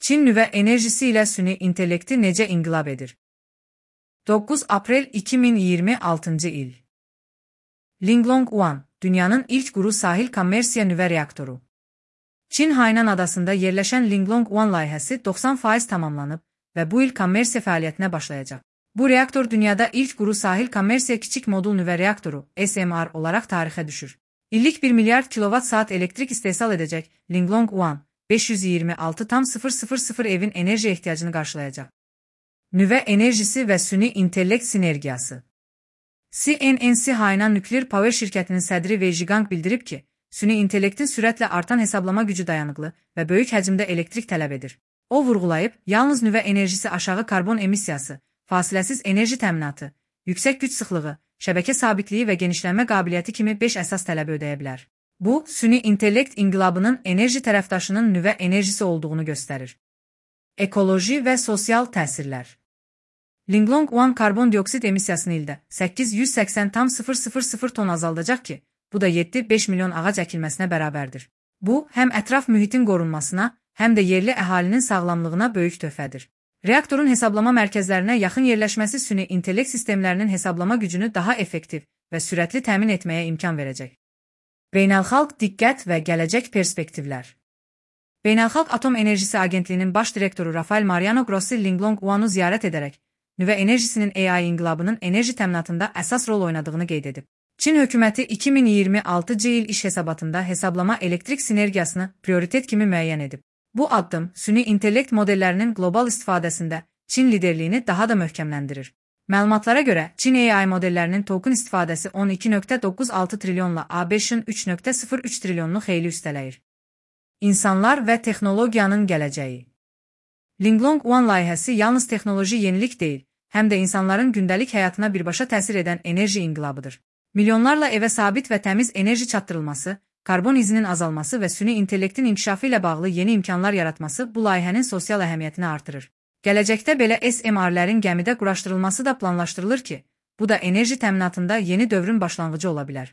Çin nüvə enerjisi ilə süni intellekti necə inqilab edir? 9 aprel 2026 il. Linglong 1, dünyanın ilk quru sahil kommersiya nüvə reaktoru. Çin Hainan adasında yerləşən Linglong 1 layihəsi 90% tamamlanıb və bu il kommersiya fəaliyyətinə başlayacaq. Bu reaktor dünyada ilk quru sahil kommersiya kiçik modul nüvə reaktoru (SMR) olaraq tarixə düşür. İllik 1 milyard kilovat-saat elektrik istehsal edəcək Linglong 1, 526,000 evin enerji ehtiyacını qarşılayacaq. Nüvə enerjisi və süni intellekt sinergiyası. CNNC Hainan Nuclear Power şirkətinin sədri Wei Zhigang bildirib ki, süni intellektin sürətlə artan hesablama gücü dayanıqlı və böyük həcmdə elektrik tələb edir. O vurğulayıb, yalnız nüvə enerjisi aşağı karbon emissiyası, fasiləsiz enerji təminatı, yüksək güc sıxlığı, şəbəkə sabitliyi və genişlənmə qabiliyyəti kimi 5 əsas tələbi ödəyə bilər. Bu, süni intellekt inqilabının enerji tərəfdaşının nüvə enerjisi olduğunu göstərir. Ekoloji və sosial təsirlər. Linglong 1 karbon dioksid emissiyasını ildə 880,000 ton azaldacaq ki, bu da 7-5 milyon ağac əkilməsinə bərabərdir. Bu, həm ətraf mühitin qorunmasına, həm də yerli əhalinin sağlamlığına böyük töhfədir. Reaktorun hesablama mərkəzlərinə yaxın yerləşməsi süni intellekt sistemlərinin hesablama gücünü daha effektiv və sürətli təmin etməyə imkan verəcək. Beynəlxalq diqqət və gələcək perspektivlər. Beynəlxalq Atom Enerjisi Agentliyinin baş direktoru Rafael Mariano Grossi Linglong 1-u ziyarət edərək, nüvə enerjisinin AI inqilabının enerji təminatında əsas rol oynadığını qeyd edib. Çin hökuməti 2026 il iş hesabatında hesablama elektrik sinergiyasını prioritet kimi müəyyən edib. Bu addım, süni intellekt modellərinin qlobal istifadəsində Çin liderliyini daha da möhkəmləndirir. Məlumatlara görə, Çin AI modellərinin token istifadəsi 12,96 trilyonla ABŞ-ın 3,03 trilyonlu xeyli üstələyir. İnsanlar və texnologiyanın gələcəyi. Linglong 1 layihəsi yalnız texnoloji yenilik deyil, həm də insanların gündəlik həyatına birbaşa təsir edən enerji inqilabıdır. Milyonlarla evə sabit və təmiz enerji çatdırılması, karbon izinin azalması və süni intellektin inkişafı ilə bağlı yeni imkanlar yaratması bu layihənin sosial əhəmiyyətini artırır. Gələcəkdə belə SMR-lərin gəmidə quraşdırılması da planlaşdırılır ki, bu da enerji təminatında yeni dövrün başlanğıcı ola bilər.